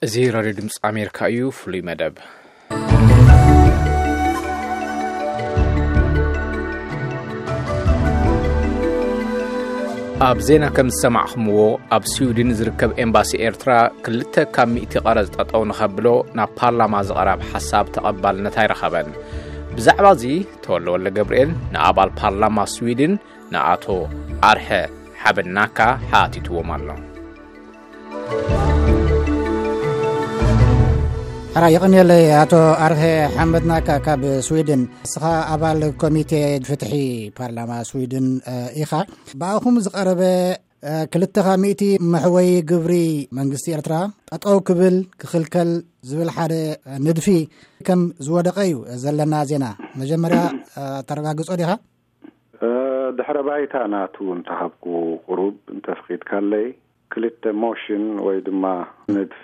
እዚ ራድዮ ድምፂ ኣሜሪካ እዩ። ፍሉይ መደብ። ኣብ ዜና ከም ዝሰማዕኹምዎ፣ ኣብ ስዊድን ዝርከብ ኤምባሲ ኤርትራ ክልተ ካብ ሚእቲ ቀረጽ ጠጠው ንኸብሎ ናብ ፓርላማ ዝቐረብ ሓሳብ ተቐባልነት ኣይረኸበን። ብዛዕባ እዚ ተወልደ ወልደ ገብርኤል ንኣባል ፓርላማ ስዊድን ንኣቶ ኣርሀ ሓበናካ ሓቲትዎም ኣሎ። ሕራ የቐንየለይ ኣቶ ኣርሀ ሓመድናካ ካብ ስዊድን። ንስኻ ኣባል ኮሚቴ ፍትሒ ፓርላማ ስዊድን፣ እ፣ ኢኻ። ብኣኹም ዝቐረበ፣ እ፣ ክልተ ካብ ሚእቲ መሕወይ ግብሪ መንግስቲ ኤርትራ ጠጠው ክብል ክኽልከል ዝብል ሓደ ንድፊ ከም ዝወደቐ እዩ ዘለና ዜና። መጀመርያ፣ እ፣ ተረጋግጾ ዲኻ? እ፣ ድሕረ ባይታ ናቱ እንተሃብኩ ቁሩብ እንተፍቒድካለይ፣ ክልተ ሞሽን ወይ ድማ ንድፊ፣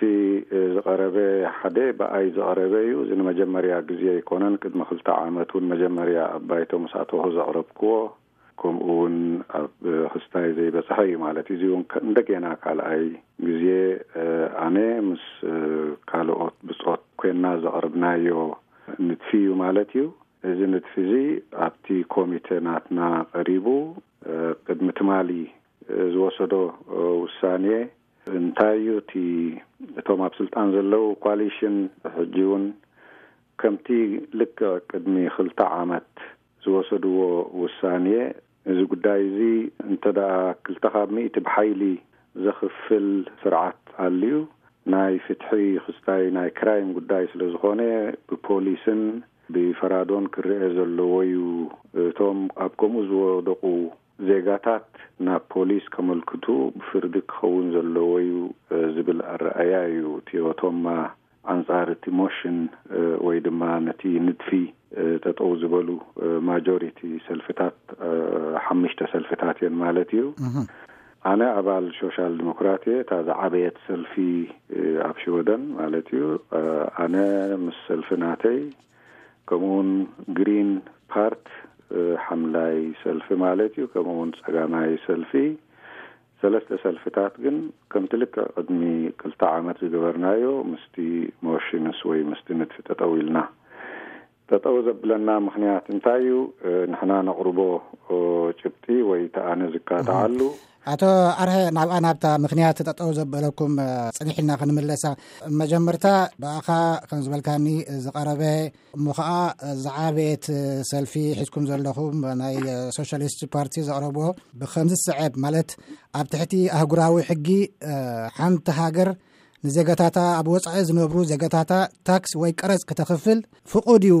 እ፣ ዝቐረበ ሓደ ብኣይ ዝቐረበ እዩ። እዚ ንመጀመርያ ግዜ ኣይኮነን። ቅድሚ ክልተ ዓመት እውን መጀመርያ ኣብ ባይቶ ምስ ኣተኹ ዘቕረብክዎ፣ ከምኡ እውን ኣብ ክስታይ ዘይበጽሐ እዩ ማለት እዩ። እዚ እውን ከ-፣ እንደገና ካልኣይ ግዜ፣ እ፣ ኣነ ምስ፣ እ፣ ካልኦት ብጾት ኮይና ዘቕርብናዮ ንድፊ እዩ ማለት እዩ። እዚ ንድፊ እዚ ኣብቲ ኮሚተ ናትና ቀሪቡ፣ እ፣ ቅድሚ ትማሊ፣ እ፣ ዝወሰዶ፣ እ፣ ውሳኔ እንታይ እዩ? እቲ፣ እቶም ኣብ ስልጣን ዘለዉ ኮሊሽን ሕጂ እውን ከምቲ ልክዕ ቅድሚ ክልተ ዓመት ዝወሰድዎ ውሳኔ፣ እዚ ጉዳይ እዚ እንተ ደኣ ክልተ ካብ ሚእቲ ብሓይሊ ዘኽፍል ስርዓት ኣልዩ፣ ናይ ፍትሒ ክስታይ ናይ ክራይም ጉዳይ ስለ ዝኾነ፣ ብፖሊስን ብፈራዶን ክረአ ዘለዎ እዩ። እቶም ኣብ ከምኡ ዝወደቑ ዜጋታት ናብ ፖሊስ ከመልክቱ ብፍርዲ ክኸውን ዘለዎ እዩ፣ እ፣ ዝብል ኣረኣእያ እዩ። እቲኦቶም ኣንጻር እቲ ሞሽን፣ እ፣ ወይ ድማ ነቲ ንድፊ፣ እ፣ ጠጠው ዝበሉ፣ እ፣ ማጆሪቲ ሰልፍታት፣ እ፣ ሓሙሽተ ሰልፍታት እየን ማለት እዩ። እህ። ኣነ ኣባል ሶሻል ዲሞክራት እየ፣ እታ ዝዓበየት ሰልፊ፣ እ፣ ኣብ ሽወደን ማለት እዩ። እ፣ ኣነ ምስ ሰልፊ ናተይ፣ ከምኡውን ግሪን ፓርት፣ እ፣ ሓምላይ ሰልፊ ማለት እዩ፣ ከምኡውን ጸጋማይ ሰልፊ፣ ሰለስተ ሰልፍታት ግን ከምቲ ልክዕ ቅድሚ ክልተ ዓመት ዝገበርናዮ ምስቲ ሞሽንስ ወይ ምስቲ ንድፊ ጠጠው ኢልና። ጠጠው ዘብለና ምኽንያት እንታይ እዩ? እ፣ ንሕና ነቕርቦ፣ እ፣ ጭብጢ ወይ እቲ ኣነ ዝካትዓሉ። ኣቶ ኣርሀ፣ ናብኣ ናብታ ምኽንያት ጠጠው ዘበለኩም፣ እ፣ ጽኒሕ ኢልና ክንምለሳ። መጀመርታ ብኣኻ ከም ዝበልካኒ ዝቐረበ እሞ ኸዓ ዝዓበየት ሰልፊ ሒዝኩም ዘለኹም ናይ ሶሻሊስት ፓርቲ ዘቕረብዎ ብኸምዚ ዝስዕብ፣ ማለት ኣብ ትሕቲ ኣህጉራዊ ሕጊ፣ እ፣ ሓንቲ ሃገር ንዜጋታታ፣ ኣብ ወጻኢ ዝነብሩ ዜጋታታ ታክስ ወይ ቀረጽ ክተኽፍል ፍቑድ እዩ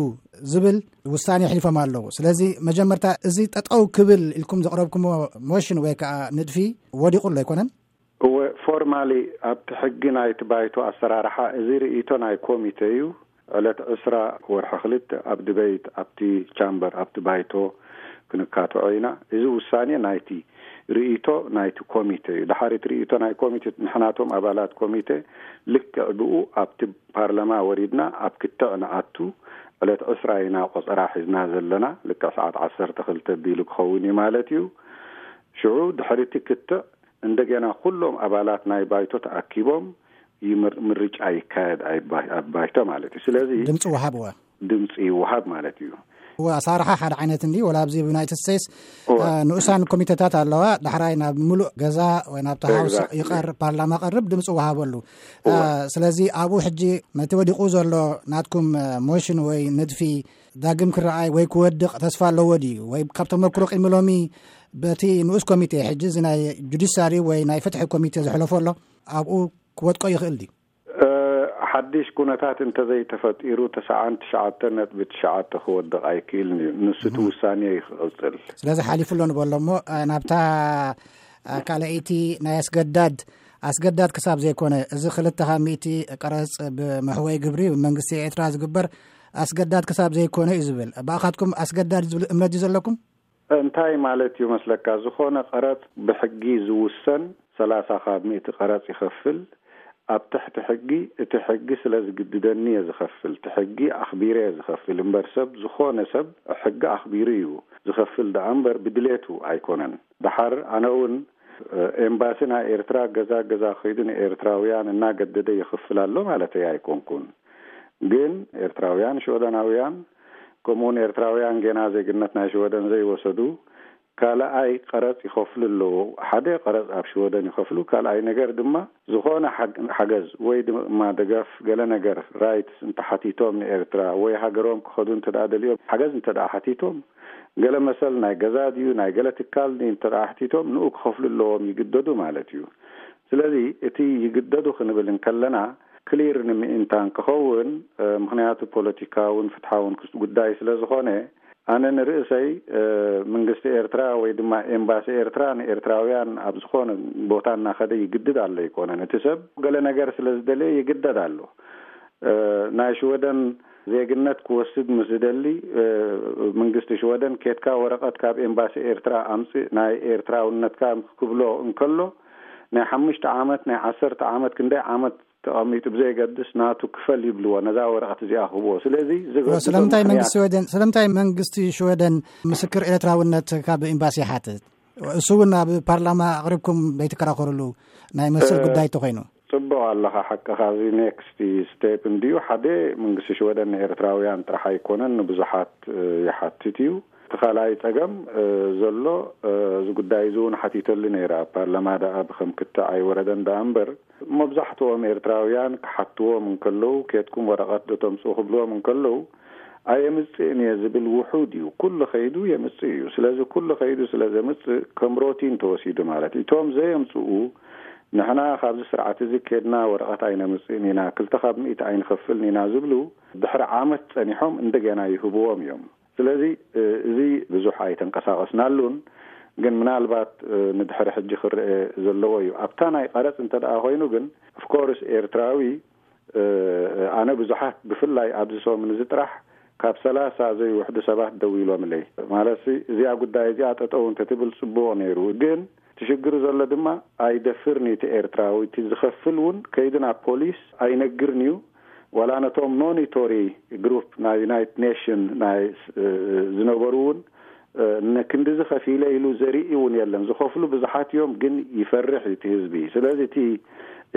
ዝብል ውሳኔ ኣሕሊፎም ኣለዉ። ስለዚ መጀመርታ እዚ ጠጠው ክብል ኢልኩም ዘቕረብኩሞ ሞሽን ወይ ከዓ ንድፊ ወዲቑ ኣሎ ኣይኮነን? እወ፣ ፎርማሊ ኣብቲ ሕጊ ናይቲ ባይቶ ኣሰራርሓ እዚ ርእይቶ ናይ ኮሚተ እዩ። ዕለት ዕስራ ወርሒ ክልተ ኣብ ድበይት ኣብቲ ቻምበር ኣብቲ ባይቶ ክንካትዖ ኢና። እዚ ውሳኔ ናይቲ ርእይቶ ናይቲ ኮሚተ እዩ። ድሓር እቲ ርእይቶ ናይ ኮሚተ ንሕናቶም ኣባላት ኮሚተ ልክዕ ብኡ ኣብቲ ፓርላማ ወሪድና ኣብ ክትዕ ንኣቱ ዕለት ዕስራ ኢና ቆጸራ ሒዝና ዘለና። ልክዕ ሰዓት ዓሰርተ ክልተ ቢሉ ክኸውን እዩ ማለት እዩ። ሽዑ ድሕሪ እቲ ክትዕ እንደገና ኩሎም ኣባላት ናይ ባይቶ ተኣኪቦም ይምር-፣ ምርጫ ይካየድ ኣይባ-፣ ኣብ ባይቶ ማለት እዩ። ስለዚ ድምፂ ወሃብ እወ። ድምፂ ይወሃብ ማለት እዩ። እወ፣ ኣሰራርሓ ሓደ ዓይነት እንዲ፣ ወላ ኣብዚ ዩናይትድ ስቴትስ፣ እወ። አ፣ ንኡሳን ኮሚቴታት ኣለዋ። ዳሕራይ ናብ ምሉእ ገዛ ወይ ናብቲ ሃውስ ኤግዛክትሊ። ይቐር-፣ ፓርላማ ቀርብ ድምፂ ወሃበሉ። እወ። አ፣ ስለዚ ኣብኡ ሕጂ ነቲ ወዲቑ ዘሎ ናትኩም፣ አ፣ ሞሽን ወይ ንድፊ ዳግም ክረኣይ ወይ ክወድቕ ተስፋ ኣለዎ ድዩ? ወይ ካብ ተመክሮ ቅድሚ ሎሚ በቲ ንኡስ ኮሚቴ ሕጂ እዚ ናይ ጁዲሻሪ ወይ ናይ ፍትሒ ኮሚቴ ዘሕለፎ ኣሎ ኣብኡ ክወድቆ ይኽእል ድዩ? እ፣ ሓድሽ ኩነታት እንተዘይተፈጢሩ፣ ተስዓን ትሽዓተን ነጥቢ ትሽዓተ ክወድቕ ኣይክእልን እዩ። ንሱ እቲ እህ። ውሳኔ እዩ ክቕጽል። ስለዚ ሓሊፉ ኣሎ ንበሎ እሞ፣ እ፣ ናብታ፣ እ፣ ካልኣይቲ ናይ ኣስገዳድ፣ ኣስገዳድ ክሳብ ዘይኮነ፣ እዚ ክልተ ካብ ሚእቲ ቀረጽ ብመሕወይ ግብሪ ብመንግስቲ ኤርትራ ዝግበር ኣስገዳድ ክሳብ ዘይኮነ እዩ ዝብል። ብኣኻትኩም ኣስገዳድ ዝብል እምነት እዩ ዘለኩም? እንታይ ማለት እዩ መስለካ? ዝኾነ ቀረጽ ብሕጊ ዝውሰን ሰላሳ ካብ ሚእቲ ቀረጽ ይኸፍል። ኣብ ትሕቲ ሕጊ፣ እቲ ሕጊ ስለ ዝግድደኒ እየ ዝኸፍል፣ እቲ ሕጊ ኣኽቢረ እየ ዝኸፍል እምበር፣ ሰብ፣ ዝኾነ ሰብ ሕጊ ኣኽቢሩ እዩ ዝኸፍል ደኣ እምበር ብድሌቱ ኣይኮነን። ደሓር ኣነ እውን ኤምባሲ ናይ ኤርትራ ገዛ ገዛ ከይዱ ንኤርትራውያን እናገደደ ይኽፍል ኣሎ ማለተይ ኣይኮንኩን። ግን ኤርትራውያን ሽወደናውያን፣ ከምኡውን ኤርትራውያን ጌና ዜግነት ናይ ሽወደን ዘይወሰዱ፣ ካልኣይ ቀረጽ ይኸፍሉ ኣለዎ። ሓደ ቀረጽ ኣብ ሽወደን ይኸፍሉ፣ ካልኣይ ነገር ድማ ዝኾነ ሓግ-፣ ሓገዝ ወይ ድማ ደገፍ፣ ገለ ነገር፣ ራይትስ እንተሓቲቶም ንኤርትራ ወይ ሃገሮም ክኸዱ እንተ ደኣ ደልዮም ሓገዝ እንተ ደኣ ሓቲቶም፣ ገለ መሰል ናይ ገዛ ድዩ ናይ ገለ ትካል ድዩ እንተ ደኣ ሓቲቶም ንኡ ክኸፍሉ ኣለዎም፣ ይግደዱ ማለት እዩ። ስለዚ እቲ ይግደዱ ክንብል እንከለና ክሊር ንምእንታን ክኸውን፣ ምኽንያቱ ፖለቲካውን ፍትሓውን ክስ-፣ ጉዳይ ስለ ዝኾነ፣ ኣነ ንርእሰይ መንግስቲ ኤርትራ ወይ ድማ ኤምባሲ ኤርትራ ንኤርትራውያን ኣብ ዝኾነ ቦታ እናኸደ ይግድድ ኣሎ ኣይኮነን። እቲ ሰብ ገለ ነገር ስለ ዝደለየ ይግደድ ኣሎ። ናይ ሽወደን ዜግነት ክወስድ ምስ ዝደሊ፣ መንግስቲ ሽወደን ኬድካ ወረቐት ካብ ኤምባሲ ኤርትራ ኣምጽእ ናይ ኤርትራውነትካ ክብሎ እንከሎ፣ ናይ ሓሙሽተ ዓመት ናይ ዓሰርተ ዓመት ክንደይ ዓመት ተቐሚጡ ብዘየገድስ ናቱ ክፈል ይብልዎ፣ ነዛ ወረቐት እዚኣ ክህብዎ። ስለዚ ዝገድዶ ስለምንታይ ምኽንያት መንግስቲ ሽወደን ስለምንታይ መንግስቲ ሽወደን ምስክር ኤርትራውነት ካብ ኤምባሲ ይሓትት? እሱ እውን ኣብ ፓርላማ ኣቕሪብኩም ዘይትከራኸሩሉ ናይ መሰል እ፣ ጉዳይ ተኾይኑ። ጽቡቕ ኣለኻ፣ ሓቅኻ። እዚ ኔክስት ስቴፕ እንድዩ። ሓደ መንግስቲ ሽወደን ንኤርትራውያን ጥራሕ ኣይኮነን፣ ንብዙሓት እ፣ ይሓትት እዩ። እቲ ካልኣይ ጸገም እ፣ ዘሎ እ፣ እዚ ጉዳይ እዚ እውን ሓቲተሉ ነይረ ኣብ ፓርላማ፣ ደኣ ብከም ክትዕ ኣይወረደን ደኣ እምበር፣ መብዛሕትኦም ኤርትራውያን ክሓትዎም እንከለዉ፣ ኬድኩም ወረቐት ዶ ተምጽኡ ክብልዎም እንከለዉ፣ ኣየምጽእን እየ ዝብል ውሑድ እዩ። ኩሉ ከይዱ የምጽእ እዩ። ስለዚ ኩሉ ከይዱ ስለ ዘምጽእ ከም ሮቲን ተወሲዱ ማለት እዩ። እቶም ዘየምጽኡ፣ ንሕና ካብዚ ስርዓት እዚ ኬድና ወረቐት ኣይነምጽእን ኢና፣ ክልተ ካብ ሚእቲ ኣይንኸፍልን ኢና ዝብሉ፣ ድሕሪ ዓመት ጸኒሖም እንደገና ይህብዎም እዮም። ስለዚ እ፣ እዚ ብዙሕ ኣይተንቀሳቐስናሉን፣ ግን ምናልባት እ፣ ንድሕሪ ሕጂ ክረአ ዘለዎ እዩ። ኣብታ ናይ ቀረጽ እንተ ደኣ ኮይኑ ግን፣ ኦፍኮርስ ኤርትራዊ እ፣ ኣነ ብዙሓት ብፍላይ ኣብዚ ሰሙን እዚ ጥራሕ ካብ ሰላሳ ዘይውሕዱ ሰባት ደዊሎምለይ። ማለትሲ እዚኣ ጉዳይ እዚኣ ጠጠው እንተትብል ጽቡቕ ነይሩ። ግን እቲ ሽግር ዘሎ ድማ ኣይደፍርን እዩ እቲ ኤርትራዊ። እቲ ዝኸፍል እውን ከይዱ ናብ ፖሊስ ኣይነግርን እዩ። ዋላ ነቶም ሞኒቶሪ ግሩፕ ናይ ዩናይትድ ኔሽን ናይ እ፣ ዝነበሩ እውን እ፣ ንክንድዚ ከፊለ ኢሉ ዘርኢ እውን የለን። ዝኸፍሉ ብዙሓት እዮም፣ ግን ይፈርሕ እዩ እቲ ህዝቢ። ስለዚ እቲ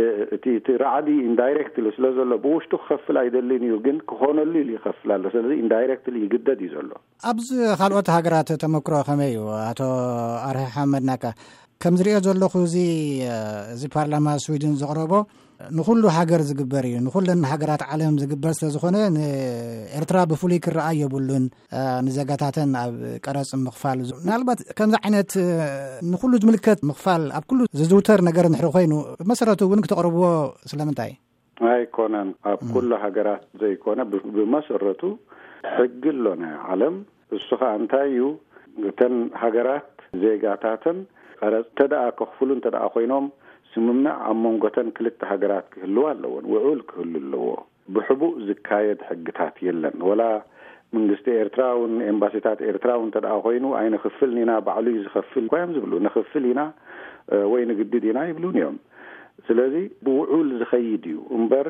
እ፣ እቲ እቲ ራዕዲ ኢንዳይሬክትሊ ስለ ዘሎ ብውሽጡ ክኸፍል ኣይደልን እዩ፣ ግን ክኾነሉ ኢሉ ይኸፍል ኣሎ። ስለዚ ኢንዳይሬክትሊ ይግደድ እዩ ዘሎ። ኣብዚ ካልኦት ሃገራት ተመክሮ ከመይ እዩ? ኣቶ ኣርሒ ሓመድ ናካ፣ ከም ዝሪኦ ዘለኹ እዚ እ፣ እዚ ፓርላማ ስዊድን ዘቕረቦ ንኹሉ ሃገር ዝግበር እዩ፣ ንኹለን ሃገራት ዓለም ዝግበር ስለ ዝኾነ ንኤርትራ ብፍሉይ ክረኣ የብሉን። እ፣ ንዜጋታተን ኣብ ቀረጽ ምኽፋል ዝ-፣ ምናልባት ከምዚ ዓይነት እ፣ ንኹሉ ዝምልከት ምኽፋል ኣብ ኩሉ ዝዝውተር ነገር እንድሕሪ ኮይኑ ብመሰረቱ እውን ክተቕርብዎ ስለምንታይ? ኣይኮነን። ኣብ ም። ኩሉ ሃገራት ዘይኮነ ብ-፣ ብመሰረቱ ሕጊ ኣሎ ናይ ዓለም። እሱ ኸኣ እንታይ እዩ? እተን ሃገራት ዜጋታተን ቀረጽ እንተ ደኣ ከኽፍሉ እንተ ደኣ ኮይኖም፣ ስምምዕ ኣብ መንጎተን ክልተ ሃገራት ክህልዋ ኣለዎን፣ ውዑል ክህሉ ኣለዎ። ብሕቡእ ዝካየድ ሕግታት የለን። ወላ መንግስቲ ኤርትራ እውን፣ ኤምባሲታት ኤርትራ እውን እንተ ደኣ ኮይኑ፣ ኣይንኽፍልን ኢና፣ ባዕሉ እዩ ዝኸፍል እኳ እዮም ዝብሉ። ንኽፍል ኢና እ፣ ወይ ንግድድ ኢና ይብሉን እዮም። ስለዚ ብውዑል ዝኸይድ እዩ እምበር፣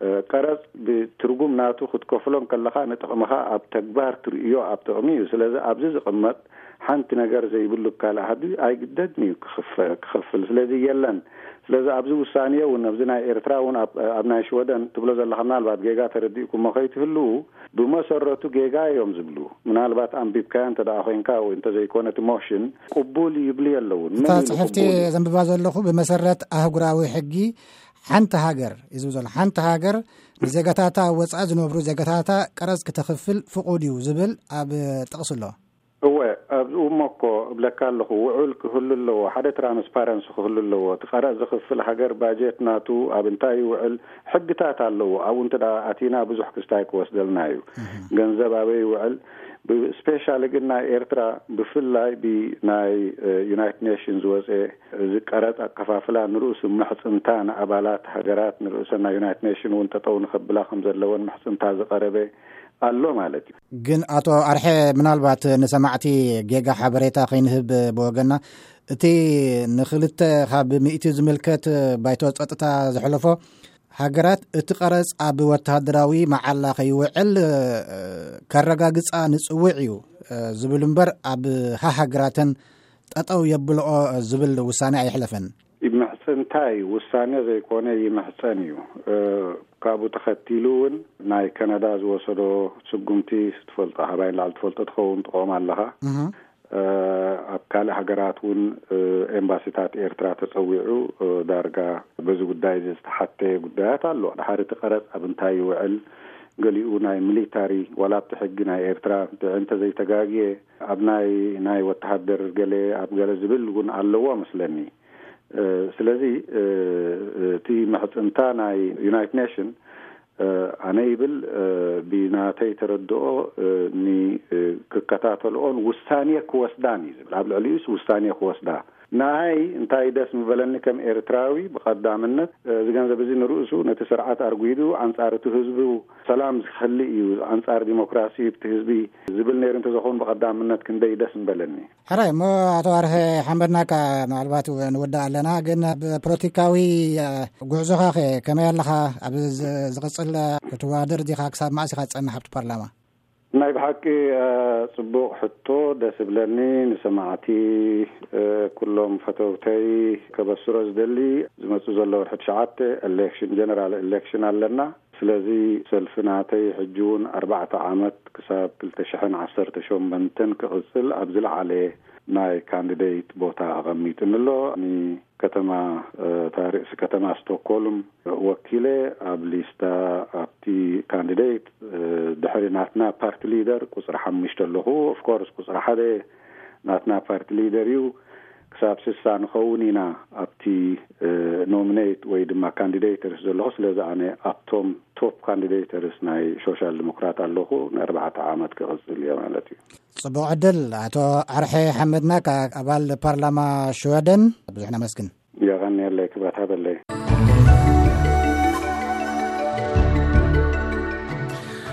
እ፣ ቀረጽ ብትርጉም ናቱ ክትከፍሎ እንከለኻ ንጥቕምኻ ኣብ ተግባር ትርእዮ ኣብ ጥቕሚ እዩ። ስለዚ ኣብዚ ዝቕመጥ ሓንቲ ነገር ዘይብሉ ካልእ ሃዲ ኣይግደድን እዩ ክኽፈ-፣ ክኸፍል። ስለዚ የለን። ስለዚ ኣብዚ ውሳኔ እውን ኣብዚ ናይ ኤርትራ እውን ኣብ፣ ኣብ ናይ ሽወደን ትብሎ ዘለኻ ምናልባት ጌጋ ተረዲእኩሞ ከይትህልዉ፣ ብመሰረቱ ጌጋ እዮም ዝብሉ። ምናልባት ኣንቢብካዮ እንተ ደኣ ኮይንካ ወይ እንተ ዘይኮነ እቲ ሞሽን ቅቡል ይብሉ የለውን። እታ ምን ኢሉ ጽሕፍቲ ቅቡል እዩ? ዘንብባ ዘለኹ ብመሰረት ኣህጉራዊ ሕጊ ሓንቲ ሃገር እዩ ዝብል ዘሎ። ሓንቲ ሃገር ንዜጋታታ ኣብ ወጻኢ ዝነብሩ ዜጋታታ ቀረጽ ክተኽፍል ፍቑድ እዩ ዝብል ኣብ ጥቕሲ ኣሎ። እወ፣ ኣብኡ እሞ እኮ እብለካ ኣለኹ፣ ውዑል ክህሉ ኣለዎ፣ ሓደ ትራንስፓረንሲ ክህሉ ኣለዎ። እቲ ቀረጽ ዝኽፍል ሃገር ባጀት ናቱ ኣብ እንታይ ይውዕል፣ ሕግታት ኣለዎ። ኣብኡ እንተ ደኣ ኣቲና ብዙሕ ክስታይ ክወስደልና እዩ። እህ። ገንዘብ ኣበይ ይውዕል? ብ-፣ ስፔሻሊ ግን ናይ ኤርትራ ብፍላይ ብናይ፣ እ፣ ዩናይትድ ኔሽን ዝወጸ እዚ ቀረጽ ኣከፋፍላ ንርእሱ ምሕጽንታ ንኣባላት ሃገራት ንርእሰን ናይ ዩናይትድ ኔሽን እውን ጠጠው ንኸብላ ከም ዘለወን ምሕጽንታ ዝቐረበ ኣሎ ማለት እዩ። ግን ኣቶ ኣርሐ፣ ምናልባት ንሰማዕቲ ጌጋ ሓበሬታ ከይንህብ ብወገና፣ እቲ ንክልተ ካብ ሚእቲ ዝምልከት ባይቶ ጸጥታ ዘሕለፎ፣ ሃገራት እቲ ቀረጽ ኣብ ወተሃደራዊ መዓላ ከይውዕል፣ እ፣ ከረጋግጻ ንጽውዕ እዩ፣ እ፣ ዝብል እምበር ኣብ ሃሃግራተን ጠጠው የብልኦ ዝብል ውሳኔ ኣይሕለፈን። ይምሕጽንታ እዩ፣ ውሳኔ ዘይኮነ ይምሕጸን እዩ። እ፣ ካብኡ ተኸቲሉ እውን ናይ ከነዳ ዝወሰዶ ስጉምቲ ትፈልጦ፣ ካባይ ንላዕሊ ትፈልጦ ትኸውን፣ ትቆም ኣለኻ። እህ። እ፣ ኣብ ካልእ ሃገራት እውን፣ እ፣ ኤምባሲታት ኤርትራ ተጸዊዑ፣ እ፣ ዳርጋ በዚ ጉዳይ እዚ ዝተሓተ ጉዳያት ኣሎ። ድሓር እቲ ቀረጽ ኣብ እንታይ ይውዕል፣ ገሊኡ ናይ ሚሊታሪ፣ ዋላ ኣብቲ ሕጊ ናይ ኤርትራ እንተ ዘይተጋግየ፣ ኣብ ናይ፣ ናይ ወተሃደር ገለ፣ ኣብ ገለ ዝብል እውን ኣለዎ መስለኒ። እ፣ ስለዚ፣ እ፣ እቲ ምሕጽንታ ናይ ዩናይትድ ኔሽን፣ እ፣ ኣነ ይብል፣ እ፣ ብናተይ ተረድኦ፣ እ፣ ኒ-፣ እ፣ ክከታተልኦን ውሳኔ ክወስዳን እዩ ዝብል። ኣብ ልዕሊኡስ ውሳኔ ክወስዳ። ንኣይ እንታይ ደስ ምበለኒ ከም ኤርትራዊ፣ ብቐዳምነት፣ እ፣ እዚ ገንዘብ እዚ ንርእሱ ነቲ ስርዓት ኣርጒዱ ኣንጻር እቲ ህዝቡ ሰላም ዝኸሊ እዩ፣ ኣንጻር ዲሞክራሲ እቲ ህዝቢ ዝብል ነይሩ እንተዝኸውን ብቐዳምነት ክንደይ ደስ ምበለኒ። ሕራይ እሞ፣ ኣቶ ኣርሐ ሓመድናካ፣ ምናልባት ንወዳእ ኣለና፣ ግን ኣብ ፖለቲካዊ፣ እ፣ ጉዕዞኻኸ ከመይ ኣለኻ? ኣብ ዝ-፣ ዝቕጽል፣ እ፣ ክትወዳደር ዲኻ? ክሳብ መዓስ ኢኻ ትጸንሕ ኣብቲ ፓርላማ? ናይ ብሓቂ፣ እ፣ ጽቡቕ ሕቶ፣ ደስ ይብለኒ። ንሰማዕቲ፣ እ፣ ኩሎም ፈተውተይ ከበስሮ ዝደሊ፣ ዝመጽእ ዘሎ ወርሒ ትሽዓተ ኤሌክሽን፣ ጀነራል ኤሌክሽን ኣለና። ስለዚ ሰልፊ ናተይ ሕጂ እውን ኣርባዕተ ዓመት ክሳብ ክልተ ሽሕን ዓሰርተ ሸሞንተን ክቕጽል ኣብ ዝለዓለ ናይ ካንዲዴት ቦታ ኣቐሚጥኒ ኣሎ። ንከተማ፣ እ፣ እታ ርእሲ ከተማ ስቶክሆልም ወኪለ ኣብ ሊስታ ኣብቲ ካንዲዴት፣ እ፣ ድሕሪ ናትና ፓርቲ ሊደር ቁጽሪ ሓሙሽተ ኣለኹ። ኦፍኮርስ ቁጽሪ ሓደ ናትና ፓርቲ ሊደር እዩ። ክሳብ ስሳ ንኸውን ኢና ኣብቲ፣ እ፣ ኖሚኔት ወይ ድማ ካንዲዴተርስ ዘለኹ። ስለዚ ኣነ ኣብቶም ቶፕ ካንዲዴተርስ ናይ ሶሻል ዲሞክራት ኣለኹ። ንኣርባዕተ ዓመት ክቕጽል እየ ማለት እዩ። ጽቡቕ ዕድል። ኣቶ ኣርሐ ሓመድናካ፣ ኣባል ፓርላማ ሽወደን፣ ብዙሕ ነመስግን። የቐንየለይ፣ ክብረት ሃበለይ።